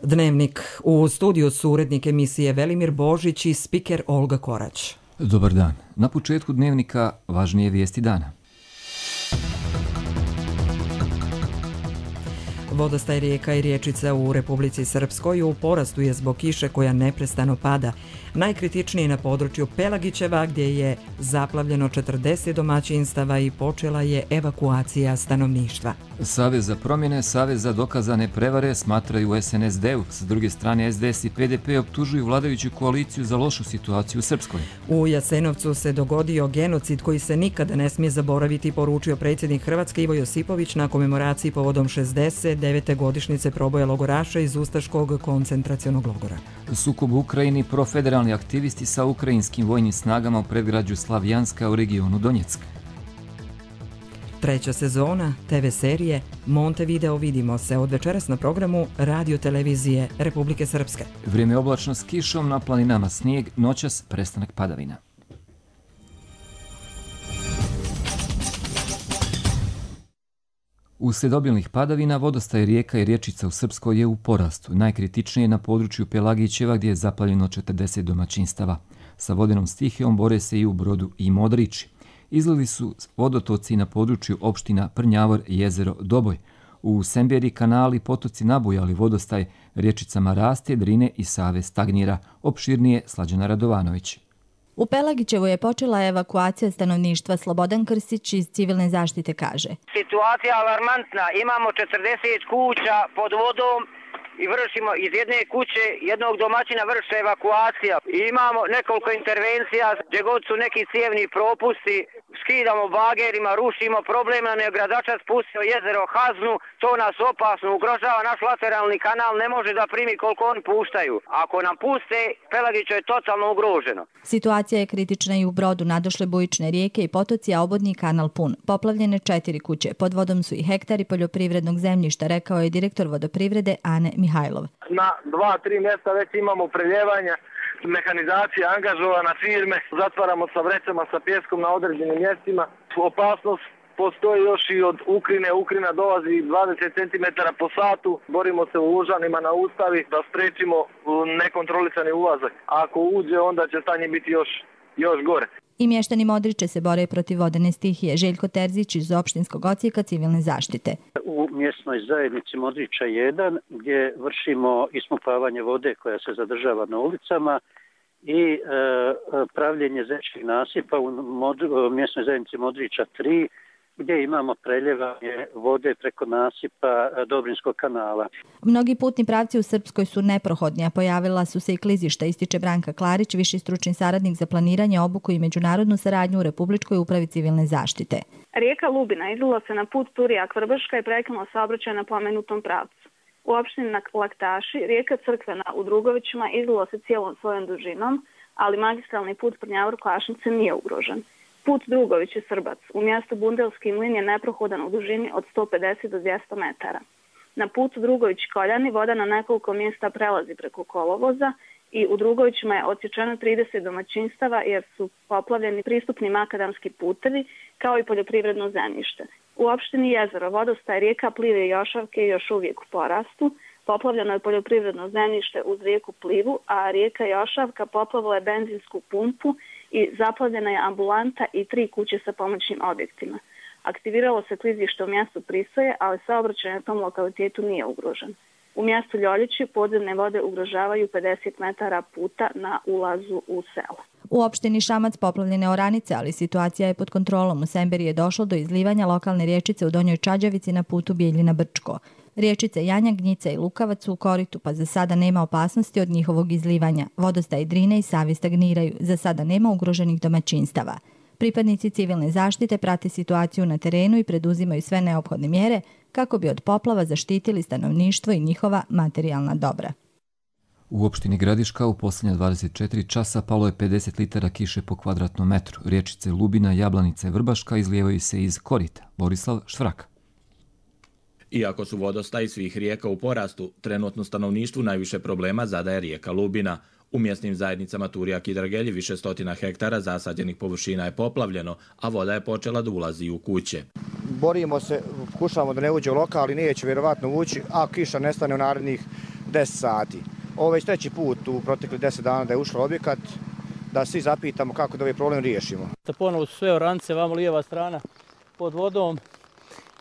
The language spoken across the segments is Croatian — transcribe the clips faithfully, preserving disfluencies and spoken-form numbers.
Dnevnik. U studiju su urednik emisije Velimir Božić i spiker Olga Korać. Dobar dan. Na početku Dnevnika važnije vijesti dana. Vodostaj rijeka i riječica u Republici Srpskoj u porastu je zbog kiše koja neprestano pada. Najkritičnije na području Pelagićeva gdje je zaplavljeno četrdeset domaćinstava i počela je evakuacija stanovništva. Savez za promjene, Savez za dokazane prevare smatraju u S N S D-u. S druge strane S D S i P D P optužuju vladajuću koaliciju za lošu situaciju u Srpskoj. U Jasenovcu se dogodio genocid koji se nikada ne smije zaboraviti, poručio predsjednik Hrvatske Ivo Josipović na komemoraciji povodom šezdeset devete godišnjice proboja logoraša iz Ustaškog koncentracionog logora. Sukob u Ukrajini, profederalni aktivisti sa ukrajinskim vojnim snagama u predgrađu Slavjanska u regionu Donjeck. Treća sezona te ve serije Montevideo vidimo se od večeras na programu Radio televizije Republike Srpske. Vrijeme oblačno s kišom, na planinama snijeg, noćas prestanak padavina. Uslijed obilnih padavina, vodostaj rijeka i riječica u Srpskoj je u porastu. Najkritičnije je na području Pelagićeva gdje je zaplavljeno četrdeset domaćinstava. Sa vodenom stihijom bore se i u Brodu i Modrići. Izlili su vodotoci na području opština Prnjavor i jezero Doboj. U Semberi kanali potoci nabujali, vodostaj riječicama raste, Drine i Save stagnira. Opširnije Slađana Radovanović. U Pelagićevu je počela evakuacija stanovništva. Slobodan Krstić iz civilne zaštite kaže: Situacija alarmantna, imamo četrdeset kuća pod vodom i vršimo iz jedne kuće jednog domaćina vrše evakuacija. I imamo nekoliko intervencija gdje god su neki cijevni propusti, skidamo bagerima, rušimo, problem nam je gradača spustio jezero Haznu, to nas opasno ugrožava, naš lateralni kanal ne može da primi koliko oni puštaju. Ako nam puste, Pelagiće je totalno ugroženo. Situacija je kritična i u Brodu, nadošle bujične rijeke i potoci, a obodni kanal pun. Poplavljene četiri kuće, pod vodom su i hektari poljoprivrednog zemljišta, rekao je direktor vodoprivrede Ane Mihajlov. Na dva, tri mjesta već imamo preljevanja, mehanizacija angažovana, firme, zatvaramo sa vrećama, sa pjeskom na određenim mjestima. Opasnost postoji još i od Ukrine. Ukrina dolazi dvadeset centimetara po satu. Borimo se u Lužanima na Ustavi da spriječimo nekontrolisani ulazak. A ako uđe, onda će stanje biti još, još gore. I mještani Modriče se bore protiv vodene stihije. Željko Terzić iz opštinskog odsjeka civilne zaštite. U mjesnoj zajednici Modriča jedan gdje vršimo ispumpavanje vode koja se zadržava na ulicama i e, pravljenje zečnih nasipa u mod, mjesnoj zajednici Modriča tri gdje imamo preljevanje vode preko nasipa Dobrinskog kanala. Mnogi putni pravci u Srpskoj su neprohodni, a pojavila su se i klizišta, ističe Branka Klarić, viši stručni saradnik za planiranje, obuku i međunarodnu saradnju u Republičkoj upravi civilne zaštite. Rijeka Lubina izlila se na put Turijak-Vrbaška i prekinula saobraćaj na pomenutom pravcu. U opštini Laktaši rijeka Crkvena u Drugovićima izlila se cijelom svojom dužinom, ali magistralni put Prnjavor-Klašnice nije ugrožen. Put Drugović-Srbac u mjestu Bundelski mlin je neprohodan u dužini od sto pedeset do dvjesto metara. Na putu Drugović-Koljani voda na nekoliko mjesta prelazi preko kolovoza i u Drugovićima je odsječeno trideset domaćinstava jer su poplavljeni pristupni makadamski putevi kao i poljoprivredno zemljište. U opštini Jezero vodostaj rijeka Plive i Jošavke je još uvijek u porastu. Poplavljeno je poljoprivredno zemljište uz rijeku Plivu, a rijeka Jošavka poplavila je benzinsku pumpu i zaplavljena je ambulanta i tri kuće sa pomoćnim objektima. Aktiviralo se klizište u mjestu Prisoje, ali saobraćaj na tom lokalitetu nije ugrožen. U mjestu Ljoljići podzemne vode ugrožavaju pedeset metara puta na ulazu u selo. U opštini Šamac poplavljene oranice, ali situacija je pod kontrolom. U Semberi je došlo do izlivanja lokalne riječice u Donjoj Čađavici na putu Bijeljina-Brčko. Riječice Janja, Gnjica i Lukavac su u koritu, pa za sada nema opasnosti od njihovog izlivanja. Vodostaj Drine i Savi stagniraju. Za sada nema ugroženih domaćinstava. Pripadnici civilne zaštite prate situaciju na terenu i preduzimaju sve neophodne mjere kako bi od poplava zaštitili stanovništvo i njihova materijalna dobra. U opštini Gradiška u posljednja dvadeset četiri časa palo je pedeset litara kiše po kvadratnom metru. Riječice Lubina, Jablanica i Vrbaška izlijevaju se iz korita. Borislav Štvrak. Iako su vodostaji svih rijeka u porastu, trenutno stanovništvu najviše problema zadaje rijeka Lubina. U mjesnim zajednicama Turijak i Dragelji više stotina hektara zasađenih površina je poplavljeno, a voda je počela da ulazi u kuće. Borimo se, pokušavamo da ne uđe u lokal, ali neće vjerovatno ući, a kiša nestane u narednih deset sati. Ovo je već treći put u protekli deset dana da je ušlo objekat, da svi zapitamo kako da ovaj problem riješimo. Ponovo su sve oranice, vamo lijeva strana pod vodom.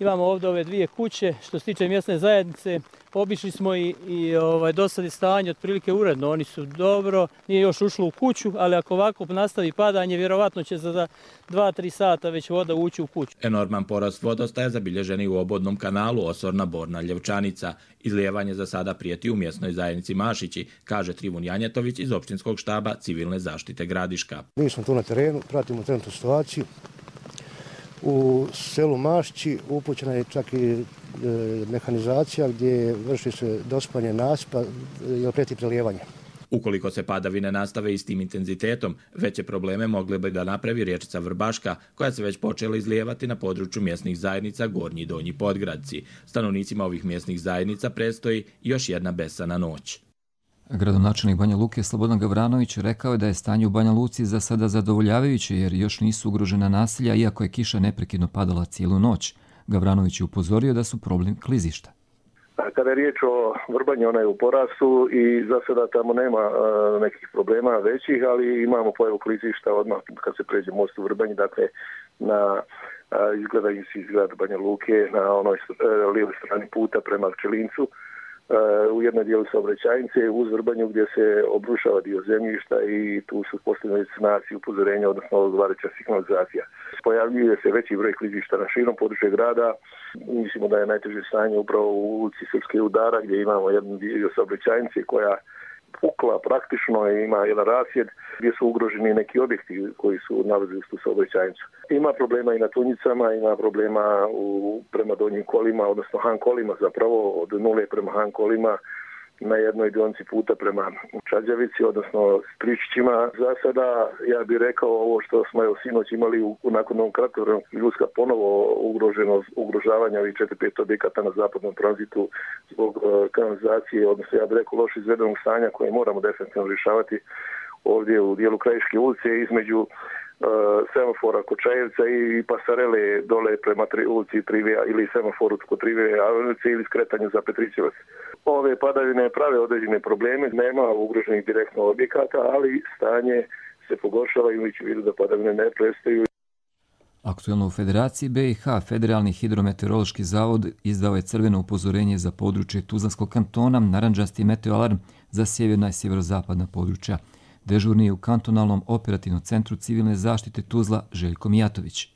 Imamo ovdje ove dvije kuće. Što se tiče mjesne zajednice, obišli smo i, i ovaj, do sad je stanje otprilike uredno. Oni su dobro, nije još ušlo u kuću, ali ako ovako nastavi padanje, vjerovatno će za dva do tri sata već voda ući u kuću. Enorman porast vodostaja zabilježen i u obodnom kanalu Osorna Borna Ljevčanica. Izlijevanje za sada prijeti u mjesnoj zajednici Mašići, kaže Trivun Janjetović iz općinskog štaba civilne zaštite Gradiška. Mi smo tu na terenu, pratimo trenutnu situaciju. U selu Mašći upućena je čak i e, mehanizacija gdje vrši se dospanje nasipa i prijeti prelijevanje. Ukoliko se padavine nastave istim intenzitetom, veće probleme mogle bi da napravi riječica Vrbaška, koja se već počela izlijevati na području mjesnih zajednica Gornji i Donji Podgradci. Stanovnicima ovih mjesnih zajednica predstoji još jedna besana noć. Gradonačelnik Banja Luke Slobodan Gavranović rekao je da je stanje u Banja Luci za sada zadovoljavajuće jer još nisu ugrožena naselja iako je kiša neprekidno padala cijelu noć. Gavranović je upozorio da su problem klizišta. Kada je riječ o Vrbanji, ona je u porastu i za sada tamo nema uh, nekih problema većih, ali imamo pojavu klizišta odmah kad se pređe most u Vrbanji, dakle na uh, izgledaju se izgled Banja Luke na onoj uh, lijevoj strani puta prema Pčelincu. Uh, u jednoj dijelu saobraćajnice uz Vrbanju gdje se obrušava dio zemljišta i tu su postavljene znaci upozorenja, odnosno odgovarajuća signalizacija. Pojavljuje se veći broj klizišta na širom području grada. Mislimo da je najteže stanje upravo u ulici Srpske Udara gdje imamo jednu dio saobraćajnice koja pukla praktično i ima jedan rasjed gdje su ugroženi neki objekti koji su nalazi u tu saobraćajnicu. Ima problema i na Tunjicama, ima problema u, prema donjim kolima, odnosno Han kolima zapravo, od nule prema Han kolima na jednoj dionici puta prema Čađavici, odnosno Stričićima. Za sada ja bih rekao ovo što smo evo sinoć imali u, nakon ovom kratkovremenog pljuska ponovo ugroženo ugrožavanja ovih četiri pet objekata na zapadnom tranzitu zbog uh, kanalizacije, odnosno ja bih rekao loš izvedenog stanja koje moramo definitivno rješavati ovdje u dijelu Krajiške ulice između uh, semafora kod Čajevca i pasarele dole prema tri, ulici Trivija ili semaforu kod Trivije Avenice ili skretanju za Petrićevac. Ove padavine prave određene probleme, nema ugroženih direktno objekata, ali stanje se pogoršava imajući u vidu da padavine ne prestaju. Aktuelno u Federaciji B i H Federalni hidrometeorološki zavod izdao je crveno upozorenje za područje Tuzlanskog kantona, narančasti meteoalarm za sjeverna i sjeverozapadna područja. Dežurni je u kantonalnom operativnom centru civilne zaštite Tuzla Željko Mijatović.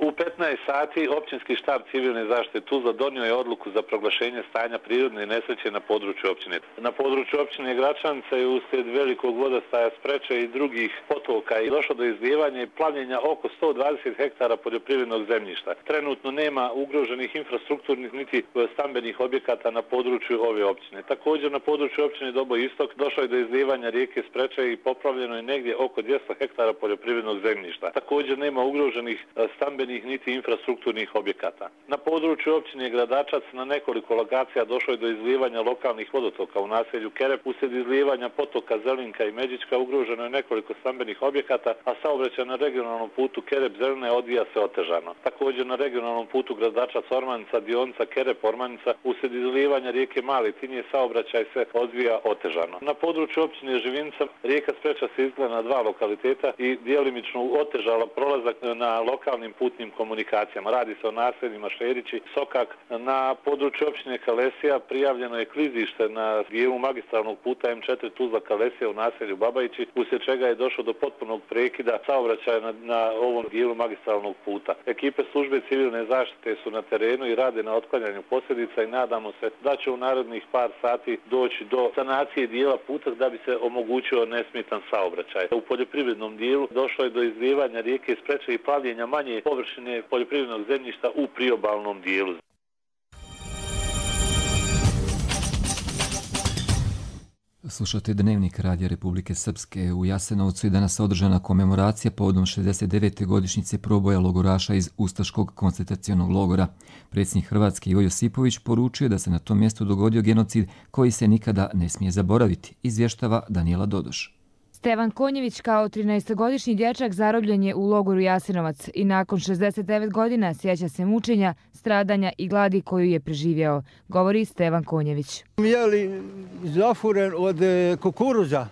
U petnaest sati općinski štab civilne zaštite Tuzla donio je odluku za proglašenje stanja prirodne nesreće na području općine. Na području općine Gračanica je uslijed velikog vodostaja Spreče i drugih potoka i došlo do izlijevanja i plavljenja oko sto dvadeset hektara poljoprivrednog zemljišta. Trenutno nema ugroženih infrastrukturnih niti stambenih objekata na području ove općine. Također na području općine Doboj Istok došlo je do izlijevanja rijeke Spreče i popravljeno je negdje oko dvjesto hektara poljoprivrednog zemljišta. Također nema ugroženih stambenih niti infrastrukturnih objekata. Na području općine Gradačac na nekoliko lokacija došlo je do izlijevanja lokalnih vodotoka u naselju Kerep. Uslijed izlijevanja potoka Zelinka i Međička ugroženo je nekoliko stambenih objekata, a saobraćaj na regionalnom putu Kerep-Zelina odvija se otežano. Također na regionalnom putu Gradačac-Ormanica, dionica Kerep-Ormanica, uslijed izlijevanja rijeke Mali Tinje saobraćaj se odvija otežano. Na području općine Živinca rijeka Spreča se izgleda na dva lokaliteta i djelimično otežala prolazak na lokalnim putnim komunikacijama. Radi se o naseljima Šerići, Sokak. Na području općine Kalesija prijavljeno je klizište na dijelu magistralnog puta M četiri Tuzla Kalesija u naselju Babajići, uslijed čega je došlo do potpunog prekida saobraćaja na, na ovom dijelu magistralnog puta. Ekipe službe civilne zaštite su na terenu i rade na otklanjanju posljedica i nadamo se da će u narednih par sati doći do sanacije dijela puta da bi se omogućio nesmetan saobraćaj. U poljoprivrednom dijelu došlo je do izlijevanja rijeke Spreče i plavljenja manje površine poljoprivrednog zemljišta u priobalnom dijelu. Slušate Dnevnik Radija Republike Srpske. U Jasenovcu je danas održana komemoracija povodom šezdeset devete godišnjice proboja logoraša iz Ustaškog koncentracionog logora. Predsjednik Hrvatske Ivo Josipović poručio da se na tom mjestu dogodio genocid koji se nikada ne smije zaboraviti, izvještava Danijela Dodoš. Stevan Konjević kao trinaestogodišnji dječak zarobljen je u logoru Jasenovac i nakon šezdeset devet godina sjeća se mučenja, stradanja i gladi koju je preživjeo, govori Stevan Konjević. Jeli zafuren od kukuruza,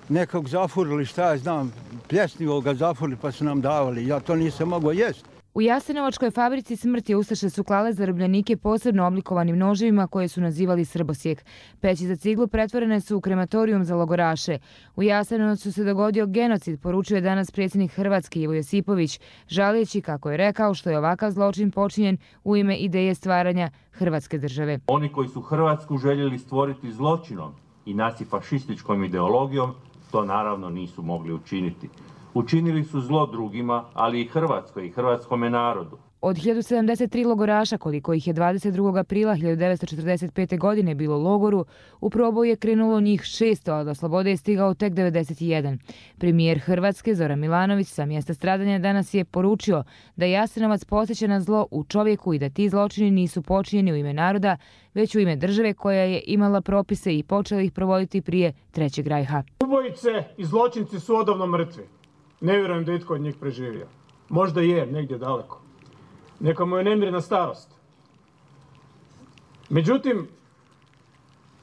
nekog zafurili, šta ja znam, pljesnivo ga zafurili pa su nam davali, ja to nisam mogao jesti. U Jasenovačkoj fabrici smrti ustaše su klale zarobljenike posebno oblikovanim noževima koje su nazivali srbosjek. Peći za ciglu pretvorene su u krematorijum za logoraše. U Jasenovcu se dogodio genocid, poručuje danas predsjednik Hrvatske Ivo Josipović, žalijeći, kako je rekao, što je ovakav zločin počinjen u ime ideje stvaranja Hrvatske države. Oni koji su Hrvatsku željeli stvoriti zločinom i nacifašističkom ideologijom, to naravno nisu mogli učiniti. Učinili su zlo drugima, ali i Hrvatskoj i hrvatskome narodu. Od hiljadu sedamdeset tri logoraša, koliko ih je dvadeset drugog aprila hiljadu devetsto četrdeset pete. godine bilo u logoru, u proboj je krenulo njih šesto, a do slobode je stigao tek devedeset jedan. Premijer Hrvatske Zoran Milanović sa mjesta stradanja danas je poručio da Jasenovac podsjeća na zlo u čovjeku i da ti zločini nisu počinjeni u ime naroda, već u ime države koja je imala propise i počela ih provoditi prije Trećeg rajha. Ubojice i zločinci su odavno mrtvi. Ne vjerujem da itko od njih preživio. Možda je, negdje daleko. Neka mu je nemirna starost. Međutim,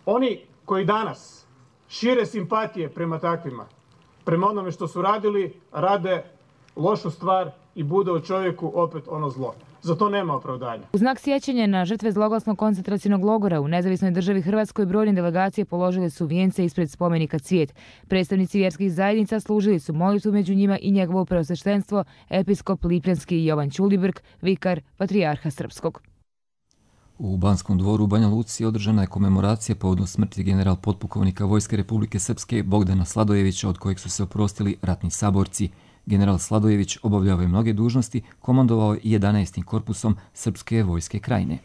oni koji danas šire simpatije prema takvima, prema onome što su radili, rade lošu stvar i bude u čovjeku opet ono zlo. Za to nema opravdanja. U znak sjećanja na žrtve zloglasnog koncentracionog logora u nezavisnoj državi Hrvatskoj brojne delegacije položile su vijence ispred spomenika Cvijet. Predstavnici vjerskih zajednica služili su molitvu, među njima i njegovo preosveštenstvo, episkop Lipljanski Jovan Ćulibrk, vikar patrijarha Srpskog. U Banskom dvoru u Banja Luci održana je komemoracija povodom smrti general potpukovnika Vojske Republike Srpske Bogdana Sladojevića, od kojeg su se oprostili ratni saborci. General Sladojević obavljao je mnoge dužnosti, komandovao je jedanaestim korpusom Srpske vojske krajine.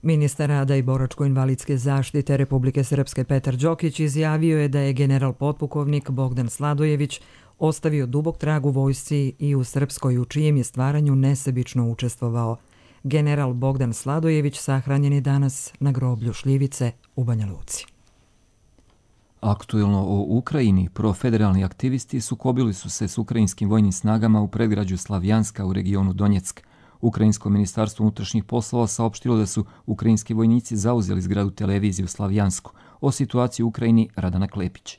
Ministar rada i boračko-invalidske zaštite Republike Srpske Petar Đokić izjavio je da je general potpukovnik Bogdan Sladojević ostavio dubok trag u vojsci i u Srpskoj, u čijem je stvaranju nesebično učestvovao. General Bogdan Sladojević sahranjen je danas na groblju Šljivice u Banja Luci. Aktuelno o Ukrajini, profederalni aktivisti sukobili su se s ukrajinskim vojnim snagama u predgrađu Slavjanska u regionu Donjeck. Ukrajinsko ministarstvo unutrašnjih poslova saopštilo da su ukrajinski vojnici zauzeli zgradu televizije u Slavjansku. O situaciji u Ukrajini Radana Klepić.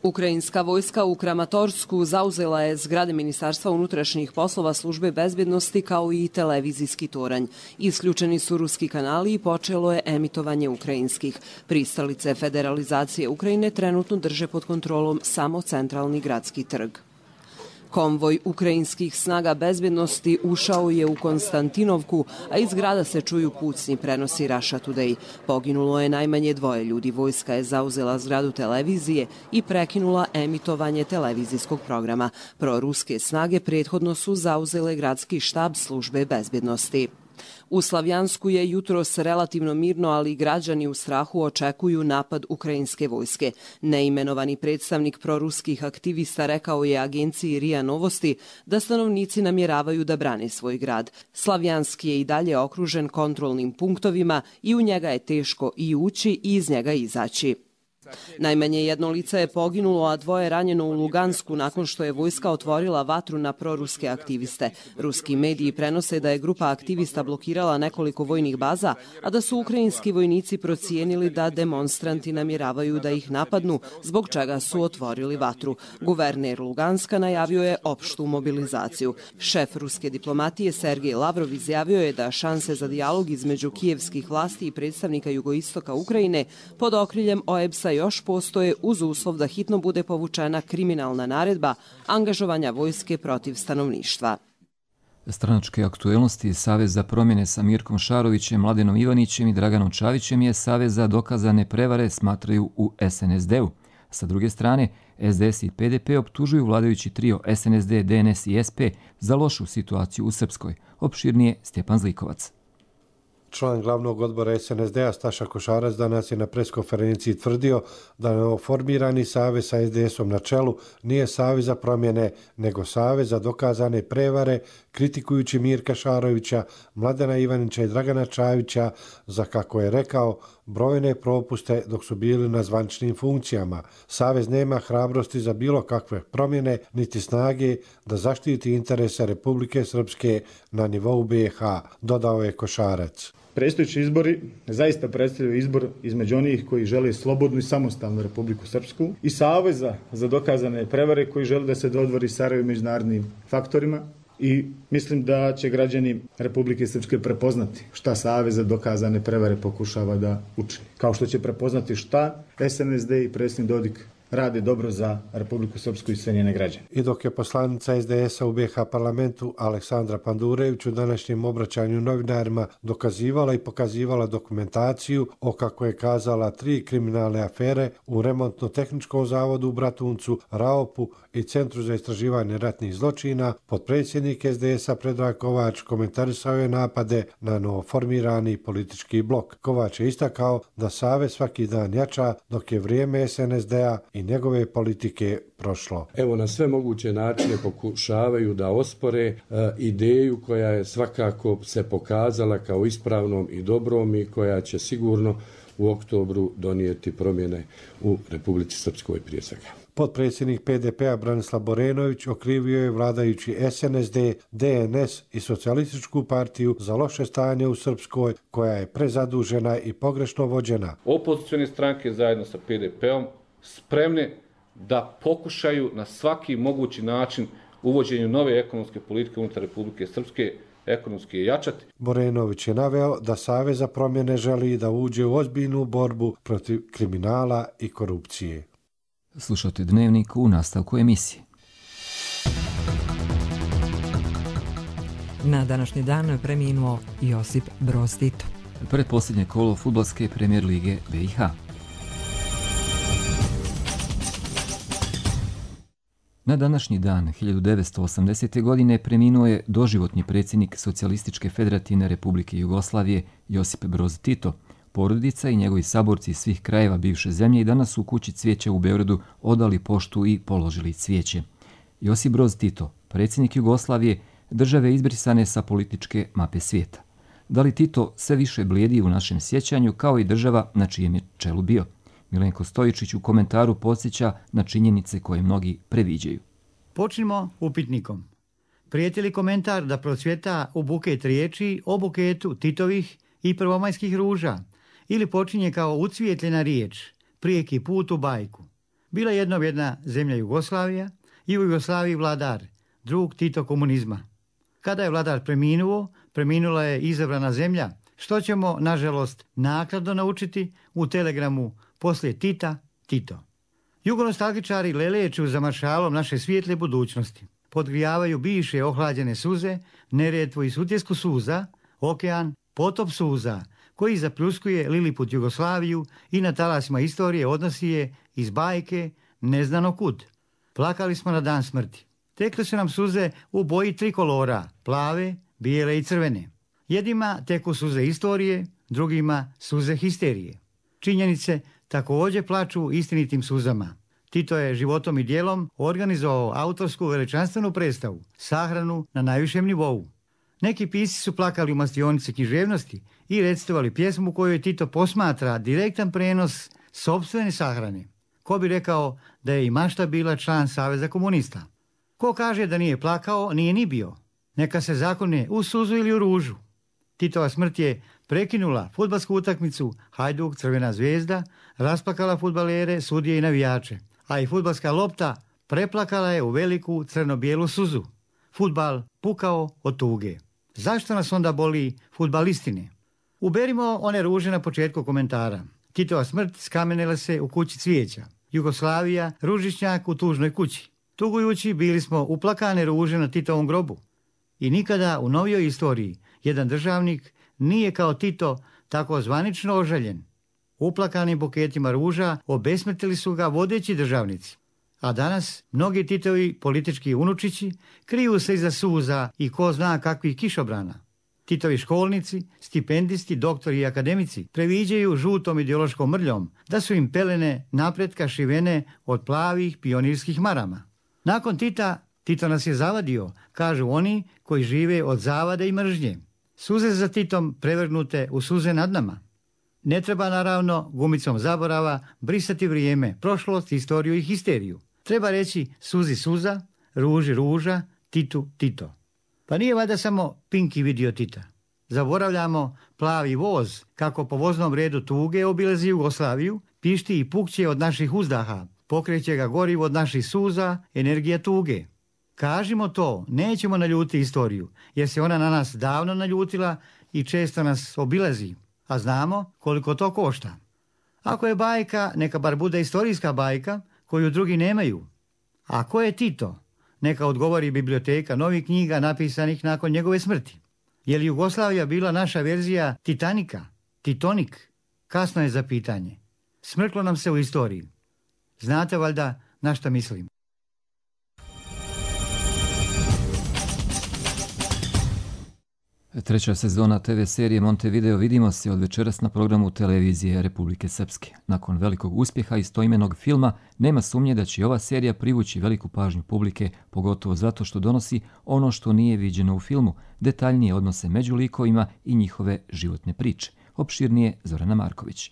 Ukrajinska vojska u Kramatorsku zauzela je zgrade Ministarstva unutrašnjih poslova službe bezbjednosti kao i televizijski toranj. Isključeni su ruski kanali i počelo je emitovanje ukrajinskih. Pristalice federalizacije Ukrajine trenutno drže pod kontrolom samo centralni gradski trg. Konvoj ukrajinskih snaga bezbjednosti ušao je u Konstantinovku, a iz grada se čuju pucnji, prenosi Russia Today. Poginulo je najmanje dvoje ljudi. Vojska je zauzela zgradu televizije i prekinula emitovanje televizijskog programa. Proruske snage prethodno su zauzele gradski štab službe bezbjednosti. U Slavjansku je jutros relativno mirno, ali građani u strahu očekuju napad ukrajinske vojske. Neimenovani predstavnik proruskih aktivista rekao je agenciji R I A Novosti da stanovnici namjeravaju da brane svoj grad. Slavjanski je i dalje okružen kontrolnim punktovima i u njega je teško i ući i iz njega izaći. Najmanje jedno lice je poginulo, a dvoje ranjeno u Lugansku nakon što je vojska otvorila vatru na proruske aktiviste. Ruski mediji prenose da je grupa aktivista blokirala nekoliko vojnih baza, a da su ukrajinski vojnici procijenili da demonstranti namjeravaju da ih napadnu, zbog čega su otvorili vatru. Guverner Luganska najavio je opštu mobilizaciju. Šef ruske diplomatije Sergej Lavrov izjavio je da šanse za dijalog između kijevskih vlasti i predstavnika jugoistoka Ukrajine pod okriljem O E B S-a još postoje uz uslov da hitno bude povučena kriminalna naredba angažovanja vojske protiv stanovništva. Stranačke aktuelnosti Savez za promjene sa Mirkom Šarovićem, Mladenom Ivanićem i Draganom Čavićem je Savez za dokazane prevare smatraju u S N S D-u. Sa druge strane, S D S i P D P optužuju vladajući trio S N S D, D N S i S P za lošu situaciju u Srpskoj. Opširnije Stjepan Zlikovac. Član glavnog odbora S N S D-a Staša Košarac danas je na preskonferenciji tvrdio da novoformirani savez sa S D S-om na čelu nije savez za promjene, nego savez za dokazane prevare, kritikujući Mirka Šarovića, Mladena Ivanića i Dragana Čavića za, kako je rekao, brojne propuste dok su bili na zvaničnim funkcijama. Savez nema hrabrosti za bilo kakve promjene, niti snage da zaštiti interese Republike Srpske na nivou B iH, dodao je Košarac. Predstojeći izbori zaista predstavljaju izbor između onih koji žele slobodnu i samostalnu Republiku Srpsku i Saveza za dokazane prevare koji žele da se dodvori Sarajevu međunarodnim faktorima. I mislim da će građani Republike Srpske prepoznati šta Savez za dokazane prevare pokušava da učini. Kao što će prepoznati šta S N S D i predsjednik Dodik rade dobro za Republiku Srpsku i sve njene građane. I dok je poslanica S D S-a u B iH parlamentu Aleksandra Pandurević u današnjem obraćanju novinarima dokazivala i pokazivala dokumentaciju o, kako je kazala, tri kriminalne afere u remontno-tehničkom zavodu u Bratuncu, Raopu i Centru za istraživanje ratnih zločina, potpredsjednik S D S-a Predrag Kovač komentarisao je napade na novoformirani politički blok. Kovač je istakao da Savez svaki dan jača dok je vrijeme S N S D-a i njegove politike prošlo. Evo, na sve moguće načine pokušavaju da ospore e, ideju koja je svakako se pokazala kao ispravnom i dobrom i koja će sigurno u oktobru donijeti promjene u Republici Srpskoj prije svega. Potpredsjednik P D P-a Branislav Borenović okrivio je vladajući S N S D, D N S i Socijalističku partiju za loše stanje u Srpskoj, koja je prezadužena i pogrešno vođena. Opozicione stranke zajedno sa P D P-om spremne da pokušaju na svaki mogući način uvođenju nove ekonomske politike unutar Republike Srpske ekonomski jačati. Borenović je naveo da Savez za promjene želi da uđe u ozbiljnu borbu protiv kriminala i korupcije. Slušate Dnevnik u nastavku emisije. Na današnji dan preminuo Josip Broz Tito. Pretposljednje kolo fudbalske premijer lige B iH. Na današnji dan hiljadu devetsto osamdesete. godine preminuo je doživotni predsjednik Socijalističke federativne Republike Jugoslavije Josip Broz Tito. Porodica i njegovi saborci iz svih krajeva bivše zemlje i danas su u kući Cvijeća u Beogradu odali poštu i položili cvijeće. Josip Broz Tito, predsjednik Jugoslavije, države izbrisane sa političke mape svijeta. Da li Tito sve više blijedi u našem sjećanju kao i država na čijem je čelu bio? Milenko Stojičić u komentaru podsjeća na činjenice koje mnogi previđaju. Počnimo upitnikom. Prijeti li komentar da procvjeta u buket riječi o buketu Titovih i prvomajskih ruža, ili počinje kao ucvijetljena riječ, prijeki put u bajku? Bila jednom jedna zemlja Jugoslavija i u Jugoslaviji vladar, drug Tito komunizma. Kada je vladar preminuo, preminula je izabrana zemlja, što ćemo, nažalost, naknadno naučiti u telegramu poslije Tita, Tito. Jugonostalgičari leleću za maršalom naše svijetle budućnosti. Podgrijavaju bivše ohlađene suze, neretvu i sutjesku suza, okean, potop suza, koji zapljuskuje Liliput Jugoslaviju i na talasima istorije odnosi je iz bajke neznano kud. Plakali smo na dan smrti. Tekle su nam suze u boji trikolora, plave, bijele i crvene. Jedima teku suze istorije, drugima suze histerije. Činjenice također plaču istinitim suzama. Tito je životom i djelom organizovao autorsku veličanstvenu predstavu, sahranu na najvišem nivou. Neki pisci su plakali u mastionici književnosti i recitovali pjesmu kojoj Tito posmatra direktan prenos sopstvene sahrane. Ko bi rekao da je i mašta bila član Saveza komunista? Ko kaže da nije plakao, nije ni bio. Neka se zakone u suzu ili u ružu. Titova smrt je prekinula fudbalsku utakmicu Hajduk Crvena zvezda, rasplakala fudbalere, sudije i navijače, a i fudbalska lopta preplakala je u veliku crno-bijelu suzu. Fudbal pukao od tuge. Zašto nas onda boli fudbalistine? Uberimo one ruže na početku komentara. Titova smrt skamenela se u kući Cvijeća. Jugoslavija, ružičnjak u tužnoj kući. Tugujući bili smo uplakane ruže na Titovom grobu. I nikada u novijoj istoriji jedan državnik nije kao Tito tako zvanično ožaljen. Uplakanim buketima ruža obesmetili su ga vodeći državnici. A danas mnogi Titovi politički unučići kriju se iza suza i ko zna kakvih kišobrana. Titovi školnici, stipendisti, doktori i akademici previđaju žutom ideološkom mrljom da su im pelene napretka šivene od plavih pionirskih marama. Nakon Tita, Tito nas je zavadio, kažu oni koji žive od zavade i mržnje. Suze za Titom prevrnute u suze nad nama. Ne treba naravno gumicom zaborava brisati vrijeme, prošlost, istoriju i histeriju. Treba reći suzi suza, ruži ruža, Titu Tito. Pa nije valjda samo Pinki vidio Tita. Zaboravljamo plavi voz, kako po voznom redu tuge obilazi Jugoslaviju, pišti i pukće od naših uzdaha, pokreće ga gorivo od naših suza, energija tuge. Kažimo to, nećemo naljuti istoriju, jer se ona na nas davno naljutila i često nas obilazi, a znamo koliko to košta. Ako je bajka, neka bar bude istorijska bajka koju drugi nemaju. A ko je Tito? Neka odgovori biblioteka novih knjiga napisanih nakon njegove smrti. Je li Jugoslavija bila naša verzija Titanika? Titonik? Kasno je za pitanje. Smrklo nam se u istoriji. Znate valjda na šta mislim. Treća sezona te ve serije Montevideo vidimo se od večeras na programu televizije Republike Srpske. Nakon velikog uspjeha istoimenog filma, nema sumnje da će ova serija privući veliku pažnju publike, pogotovo zato što donosi ono što nije viđeno u filmu, detaljnije odnose među likovima i njihove životne priče. Opširnije Zorana Marković.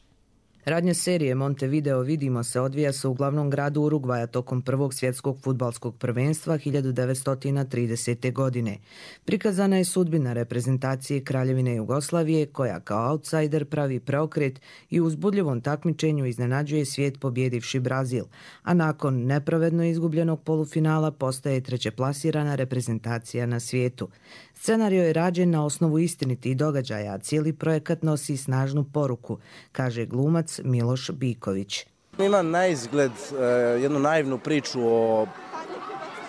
Radnja serije Montevideo vidimo se odvija se u glavnom gradu Urugvaja tokom prvog svjetskog fudbalskog prvenstva hiljadu devetsto tridesete. godine. Prikazana je sudbina reprezentacije Kraljevine Jugoslavije koja kao outsider pravi preokret i u uzbudljivom takmičenju iznenađuje svijet pobjedivši Brazil, a nakon nepravedno izgubljenog polufinala postaje trećeplasirana reprezentacija na svijetu. Scenario je rađen na osnovu istinitih događaja, a cijeli projekat nosi snažnu poruku, kaže glumac Miloš Biković. Ima na izgled e, jednu naivnu priču o,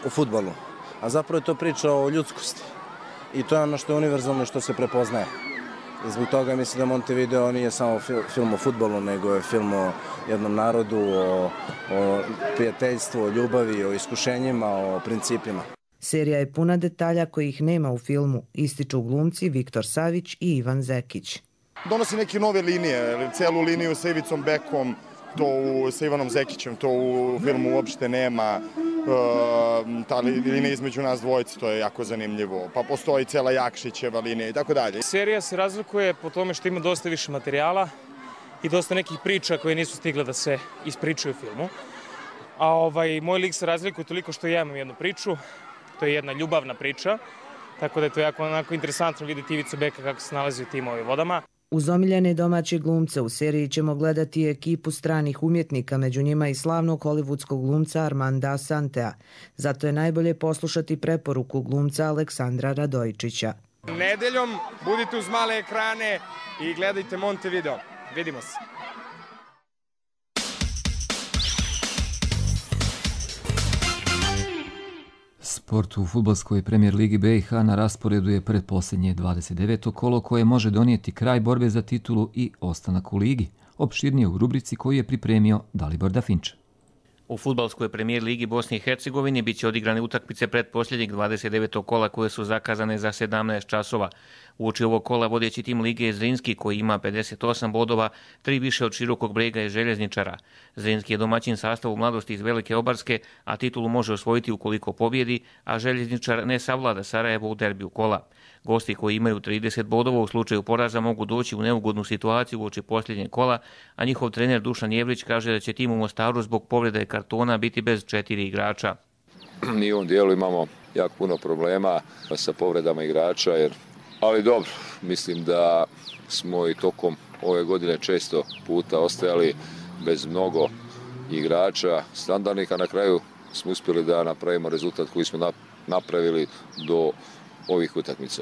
o fudbalu, a zapravo je to priča o ljudskosti. I to je ono što je univerzalno i što se prepoznaje. I zbog toga mislim da Montevideo nije samo fil, film o fudbalu, nego je film o jednom narodu, o, o prijateljstvu, o ljubavi, o iskušenjima, o principima. Serija je puna detalja kojih nema u filmu, ističu glumci Viktor Savić i Ivan Zekić. Donosi neke nove linije, celu liniju sa Ivicom Bekom, to u, sa Ivanom Zekićem, to u filmu uopšte nema. E, ta linija između nas dvojice, to je jako zanimljivo. Pa postoji cela Jakšićeva linija i tako dalje. Serija se razlikuje po tome što ima dosta više materijala i dosta nekih priča koje nisu stigle da se ispričaju u filmu. A ovaj, moj lik se razlikuje toliko što ja imam jednu priču. To je jedna ljubavna priča, tako da je to jako onako interesantno vidjeti Ivicu Beka kako se nalazi u tim ovim vodama. Uz omiljene domaće glumce u seriji ćemo gledati ekipu stranih umjetnika, među njima i slavnog hollywoodskog glumca Armanda Asantea. Zato je najbolje poslušati preporuku glumca Aleksandra Radojčića. Nedeljom budite uz male ekrane i gledajte Montevideo. Vidimo se. Sport u fudbalskoj premijer ligi be i ha na rasporedu je predposljednje dvadeset deveto kolo koje može donijeti kraj borbe za titulu i ostanak u ligi. Opširnije u rubrici koju je pripremio Dalibor Dafinča. U fudbalskoj premijer ligi Bosne i Hercegovine biće odigrane utakmice predposljednjeg dvadeset devetog kola koje su zakazane za sedamnaest časova. Uoči ovog kola vodeći tim lige je Zrinski koji ima pedeset osam bodova, tri više od Širokog Brega i Željezničara. Zrinski je domaćin sastavu mladosti iz Velike Obarske, a titulu može osvojiti ukoliko pobjedi, a Željezničar ne savlada Sarajevo u derbiju kola. Gosti koji imaju trideset bodova u slučaju poraza mogu doći u neugodnu situaciju uoči posljednjeg kola, a njihov trener Dušan Jevrić kaže da će tim u Mostaru zbog povrede kartona biti bez četiri igrača. Mi u ovom dijelu imamo jako puno problema sa povredama igrača, jer ali dobro, mislim da smo i tokom ove godine često puta ostajali bez mnogo igrača standardnih, a na kraju smo uspjeli da napravimo rezultat koji smo napravili do ovih utakmica.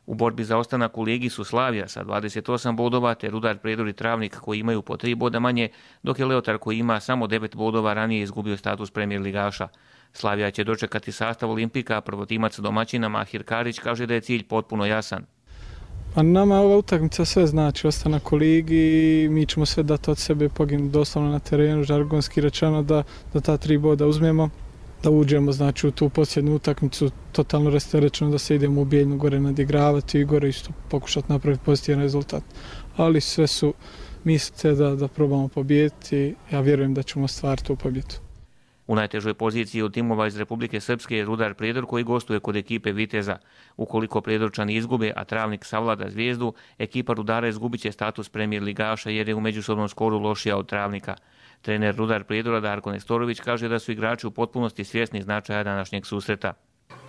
U borbi za ostanak u ligi su Slavija sa dvadeset osam bodova, te Rudar, Prijedor i Travnik koji imaju po tri boda manje, dok je Leotar koji ima samo devet bodova ranije izgubio status premijer ligaša. Slavija će dočekati sastav Olimpika, a prvotimac domaćina Mahir Karić kaže da je cilj potpuno jasan. Pa nama ova utakmica sve znači ostanak u ligi, mi ćemo sve dati od sebe, poginuti doslovno na terenu, žargonski rečeno da, da ta tri boda uzmemo, da uđemo znači u tu posljednju utakmicu totalno rasterećeno, da se idemo u Bijeljnu gore nadigravati i gore isto pokušati napraviti pozitivan rezultat. Ali sve su mislite da, da probamo pobijediti, ja vjerujem da ćemo stvariti tu pobjedu. U najtežoj poziciji od timova iz Republike Srpske je Rudar Prijedor koji gostuje kod ekipe Viteza. Ukoliko Prijedorčani izgube, a Travnik savlada Zvijezdu, ekipa Rudara izgubit će status premijer ligaša jer je u međusobnom skoru lošija od Travnika. Trener Rudar Prijedora Darko Nestorović kaže da su igrači u potpunosti svjesni značaja današnjeg susreta.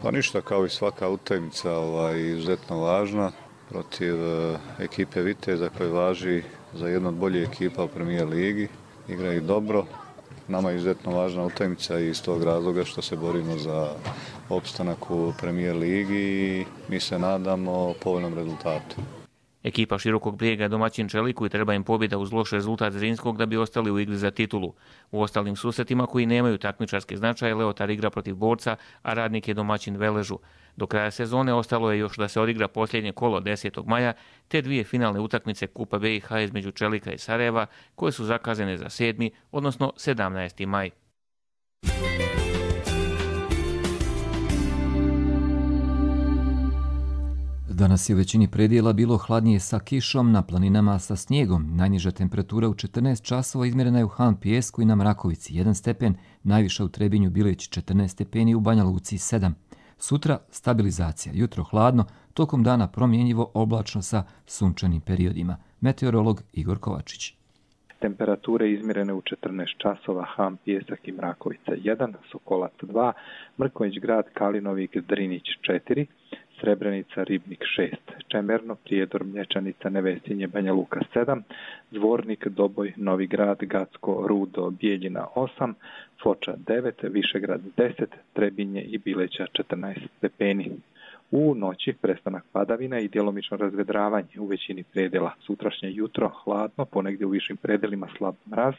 Pa ništa, kao i svaka utakmica, ovaj, izuzetno važna protiv uh, ekipe Viteza koja važi za jednu od boljih ekipa u premijer ligi. Igraju dobro. Nama je izuzetno važna utakmica i iz tog razloga što se borimo za opstanak u premijer ligi i mi se nadamo povoljnom rezultatu. Ekipa Širokog Brijega je domaćin Čeliku i treba im pobjeda uz loš rezultat Zrinskog da bi ostali u igri za titulu. U ostalim susretima koji nemaju takmičarske značaje, Leotar igra protiv Borca, a Radnik je domaćin Veležu. Do kraja sezone ostalo je još da se odigra posljednje kolo desetog maja, te dvije finalne utakmice Kupa B i H između Čelika i Sarajeva, koje su zakazane za sedmi, odnosno sedamnaesti maj. Danas je u većini predjela bilo hladnije sa kišom, na planinama sa snijegom. Najniža temperatura u četrnaest časova izmjerena je u Han Pijesku i na Mrakovici jedan stepen, najviša u Trebinju Bileć četrnaest stepeni, u Banja Luci sedam. Sutra stabilizacija, jutro hladno, tokom dana promjenjivo oblačno sa sunčanim periodima. Meteorolog Igor Kovačić. Temperature izmjerene u četrnaest časova, Han, Pijesak i Mrakovica jedan, Sokolac dva, Mrkonjić Grad, Kalinovik, Drinić četiri, Srebrenica, Ribnik šest, Čemerno, Prijedor, Mlječanica, Nevesinje, Banja Luka sedam, Zvornik, Doboj, Novi Grad, Gacko, Rudo, Bijeljina osam, Foča devet, Višegrad deset, Trebinje i Bileća četrnaest stepeni. U noći prestanak padavina i djelomično razvedravanje u većini predjela. Sutrašnje jutro hladno, ponegdje u višim predjelima slab mraz,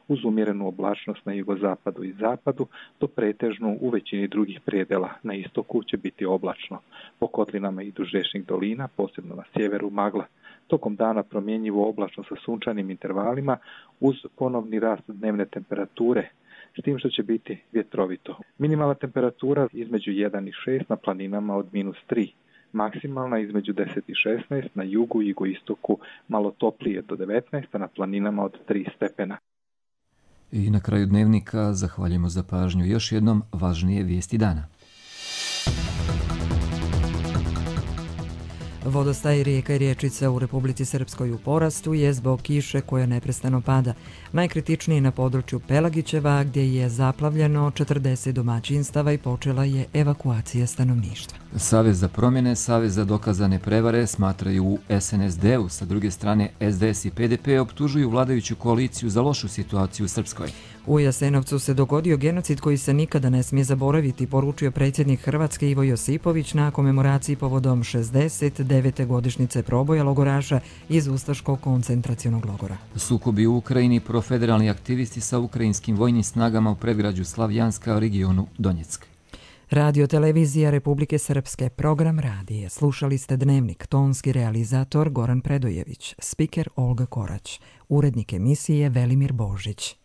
uz umjerenu oblačnost na jugozapadu i zapadu, do pretežnu u većini drugih predjela. Na istoku će biti oblačno. Po kotlinama i duž riječnih dolina, posebno na sjeveru magla. Tokom dana promjenjivo oblačno sa sunčanim intervalima uz ponovni rast dnevne temperature, s tim što će biti vjetrovito. Minimalna temperatura između jedan i šest na planinama od minus tri. Maksimalna između deset i šesnaest, na jugu i jugoistoku malo toplije do devetnaest, a na planinama od tri stepena. I na kraju dnevnika zahvaljujemo za pažnju. Još jednom važnije vijesti dana. Vodostaj rijeka i riječica u Republici Srpskoj u porastu je zbog kiše koja neprestano pada. Najkritičniji na području Pelagićeva gdje je zaplavljeno četrdeset domaćinstava i počela je evakuacija stanovništva. Savez za promjene, Savez za dokazane prevare smatraju u S N S D-u, sa druge strane S D S i P D P optužuju vladajuću koaliciju za lošu situaciju u Srpskoj. U Jasenovcu se dogodio genocid koji se nikada ne smije zaboraviti, poručio predsjednik Hrvatske Ivo Josipović na komemoraciji povodom šezdeset devete godišnjice proboja logoraša iz Ustaškog koncentracionog logora. Sukobi u Ukrajini, profederalni aktivisti sa ukrajinskim vojnim snagama u predgrađu Slavjanska, regionu Donjeck. Radio televizija Republike Srpske, program radije. Slušali ste Dnevnik, tonski realizator Goran Predojević, spiker Olga Korać, urednik emisije Velimir Božić.